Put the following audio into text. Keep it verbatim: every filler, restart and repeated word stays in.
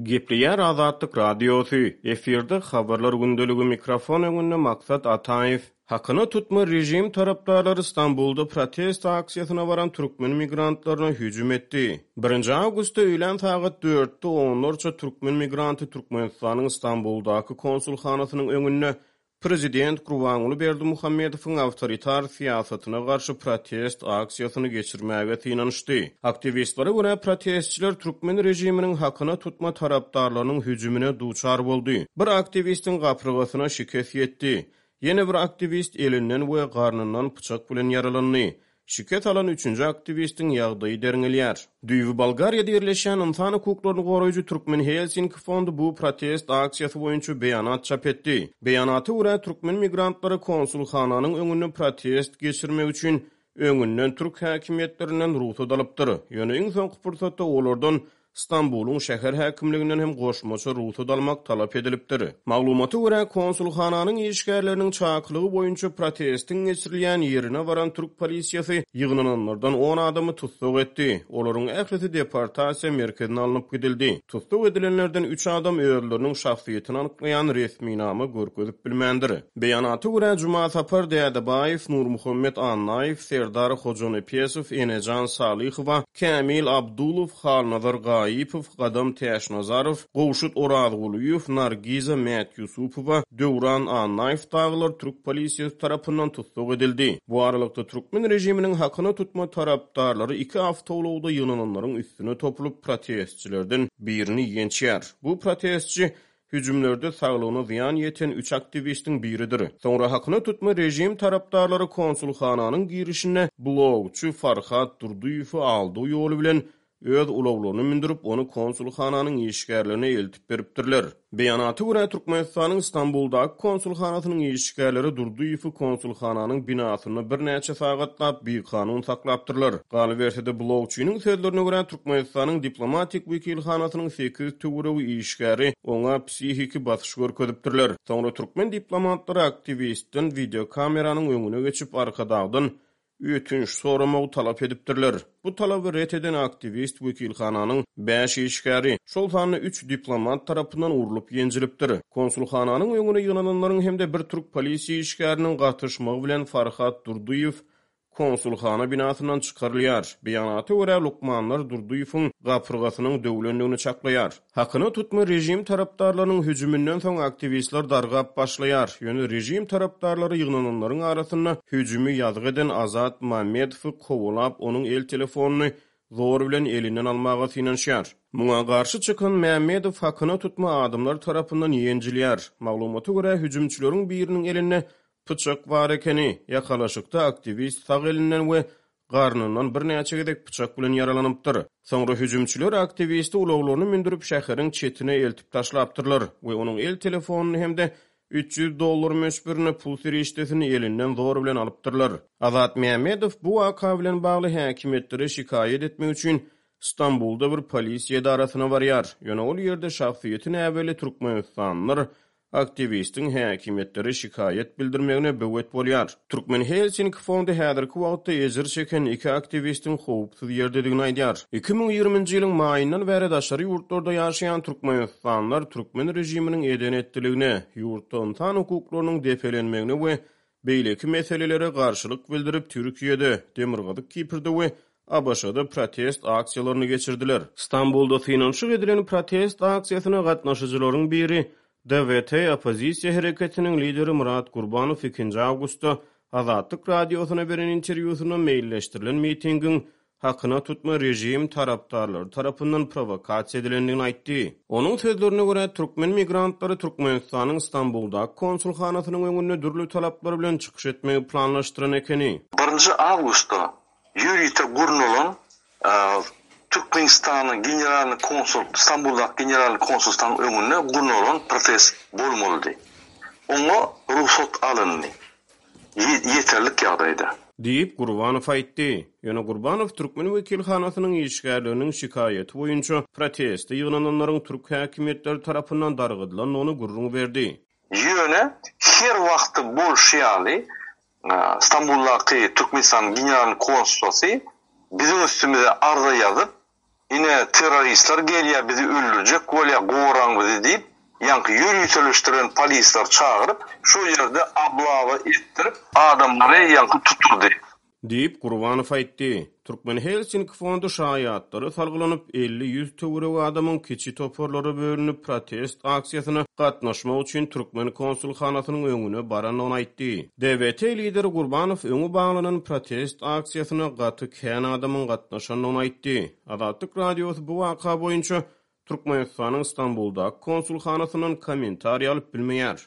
Gepleýär Azatlyk Radiosy, efirde Habarlar gündeligi, mikrofon öňünde Maksat Ataýew. Hakyna tutma režim tarapdarlary Stambulda protest aksiýasyna baran türkmen migrantlaryna hüjüm etdi. Birinji awgustda öýlän sagat dörtde onlarça türkmen migranty Türkmenistanyň Stambuldaky konsulhanasynyň öňünde prezident Gurbanguly Berdimuhamedowyň awtoritar syýasatyna garşy protest aksiýasyny geçirmäge synanyşdy. Aktiwistlere görä, protestçiler türkmen režiminiň hakyna tutma tarapdarlarynyň hüjümine duçar boldy. Bir aktiwistiň gapyrgasyna şikes ýetdi. Ýene bir aktiwist elinden we garnyndan pyçak bilen ýaralandy. Şikes alan üçünji aktiwistiň ýagdaýy derňelýär. Düýbi Bolgariýada ýerleşýän ynsan hukuklaryny goraýjy Türkmen Helsinki fondy bu protest aksiýasy boýunça beýanat çap etdi. Beýanata görä, türkmen migrantlary konsulhananyň öňünde protest geçirmek üçin öňünden türk häkimiýetlerinden rugsat alypdyr. Ýöne iň soňky pursatda olardan Stambulyň şäher häkimliginden hem goşmaça rugsat almak talap edilipdir. Maglumata görä, konsulhananyň işgärleriniň çakylygy boýunça protestiň geçirilýän ýerine baran türk polisiýasy ýygnananlardan on adamy tussag etdi. Olaryň ählisi deportasiýa merkezine alnyp gidildi. Tussag edilenlerden üç adam özleriniň şahsyýetini anyklaýan resminama görkezip bilmändir. Beýanata görä, Jumasapar Dädebaýew, Nurmuhammet Annaýew, Serdar Hojanepesow, Enejan Salyhowa, Kämil Abdulow, Halnazar Gaýypow, Gadam Täçnazarow, Gowşut Orazgulyýew, Nargiza Mätýusupowa, Döwran Annaýew dagylar türk polisiýasy tarapyndan tussag edildi. Bu aralykda türkmen režiminiň hakyna tutma tarapdarlary iki awtoulagda ýygnananlaryň üstüne topulyp protestçilerden birini ýençýär. Bu protestçi hüjümlerde saglygyna zyýan ýeten üç aktiwistiň biridir. Soňra hakyna tutma režim tarapdarlary konsulhananyň girişinde blogçy Farhat Durdyýewi aldygy ýoly bilen öz ulaglaryny mündürip, ony konsulhananyň işgärlerine eltip beripdirler. Beýanata görä, Türkmenistanyň Stambuldaky konsulhanasynyň işgärleri Durdyýewi konsulhananyň binasynda birnäçe sagatlap bikanun saklapdyrlar. Galyberse-de, blogçynyň sözlerine görä, Türkmenistanyň diplomatik wekilhanasynyň sekiz töweregi işgäri oňa psihiki basyş görkezipdirler. Soňra türkmen diplomatlary aktiwistden wideokameranyň öňüne geçip, Arkadagdan ötünç soramagy talap edipdirler. Bu talaby ret eden aktiwist wekilhananyň bäş işgäri, şol sanda üç diplomat tarapyndan urlup ýenjilipdir. Konsulhananyň öňüne ýygnananlaryň hem-de bir türk polisiýa işgäriniň gatyşmagy bilen Farhat Durdyýew konsulhana binasyndan çykarylýar. Beýanata görä, lukmanlar Durdyýewiň gapyrgasynyň döwlendigini çaklaýar. Hakyna tutma režim tarapdarlarynyň hüjüminden soň aktiwistler dargap başlaýar. Ýöne režim tarapdarlary ýygnananlaryň arasynda hüjümi ýazgy eden Azat Mamedowy kowalap, onuň el telefonyny zor bilen elinden almaga synanyşýar. Muňa garşy çykan Mämmedow hakyna tutma adamlar tarapyndan ýenjilýär. Maglumata görä, hüjümçileriň biriniň elinde pyçak bar ekeni. Ýakalaşykda aktiwist sag elinden we garnyndan birnäçe gezek pyçak bilen ýaralanypdyr. Soňra hüjümçiler aktiwisti ulaglaryny mündürip şäheriň çetine eltip taşlapdyrlar we onuň el telefonyny hem-de üç ýüz dollar möçberinde pul serişdesini elinden zor bilen alypdyrlar. Azat Mämmedow bu waka bilen bagly häkimiýetlere şikaýat etmek üçin Stambulda bir polisiýa edarasyna barýar. Ýöne ol ýerde şahsyýeti näbelli türkmenistanlylar aktiwistiň häkimiýetlere şikaýat bildirmegine böwet bolýar. Türkmen Helsinki fondy häzirki wagtda ejir çeken iki aktiwistiň howpsuz ýerdedigini aýdýar. Iki müň ýigriminji ýylyň maýyndan bäri daşary ýurtlarda ýaşaýan türkmenistanlylar türkmen režiminiň eden etdiligine, ýurtda ynsan hukuklarynyň depelenmegine we beýleki meselelere garşylyk bildirip Türkiýede, Demirgazyk Kiprde we A B Ş-da protest aksiýalaryny geçirdiler. Stambulda synanyşyk edilen protest aksiýasyna gatnaşyjylaryň biri D W T oppozisiýa hereketiniň lideri Murat Gurbanow ikinji awgustda Azatlyk radiosyna beren interwýusynda meýilleşdirilen mitingiň hakyna tutma režim tarapdarlary tarapyndan provokasiýa edilendigini aýtdy. Onuň sözlerine görä, türkmen migrantlary Türkmenistanyň Stambuldaky konsulhanasynyň öňünde dürli talaplar bilen çykyş etmegi planlaşdyran ekeni. Birinji awgustda ýörite gurnalan, e, Türkmenistanyň generalny konsul, Stambuldaky generalny konsulstanyň öňünde gurnalan protest bolmalydy. Oňa rugsat alyndy. Ye-, ýeterlik ýagdaýda. Diýip Gurbanow aýtdy. Ýöne Gurbanow türkmen wekilhanasynyň işgärleriniň şikaýaty boýunça proteste ýygnananlaryň türk häkimiýetleri tarapyndan dargadylandygyny gürrüň berdi. Ýöne her wagty bolşy ýaly, e, Stambuldaky Türkmenistanyň generalny konsulsy biziň üstümize arza ýazyp, ine terroristler gelýär bizi öldürjek bolýar goraň bizi diýip, ýaňky ýöriteleşdiren polisler çagyryp, şo ýerde oblawa etdirip, adamlary ýaňky tutturdy. Diýip, Gurbanow aýtdy. Türkmen Helsinki fondy şaýatlara salgylanyp, elli-ýüz töweregi adamyň kiçi toparlara bölünip protest aksiýasyna gatnaşmak üçin türkmen konsulhanasynyň öňüne barandygyny aýtdy. D W T lideri Gurbanow öňi baglanan protest aksiýasyna gaty kän adamyň gatnaşandygyny aýtdy. Azatlyk Radiosy bu waka boýunça Türkmenistanyň Stambuldaky konsulhanasyndan kommentariý alyp bilmeýär.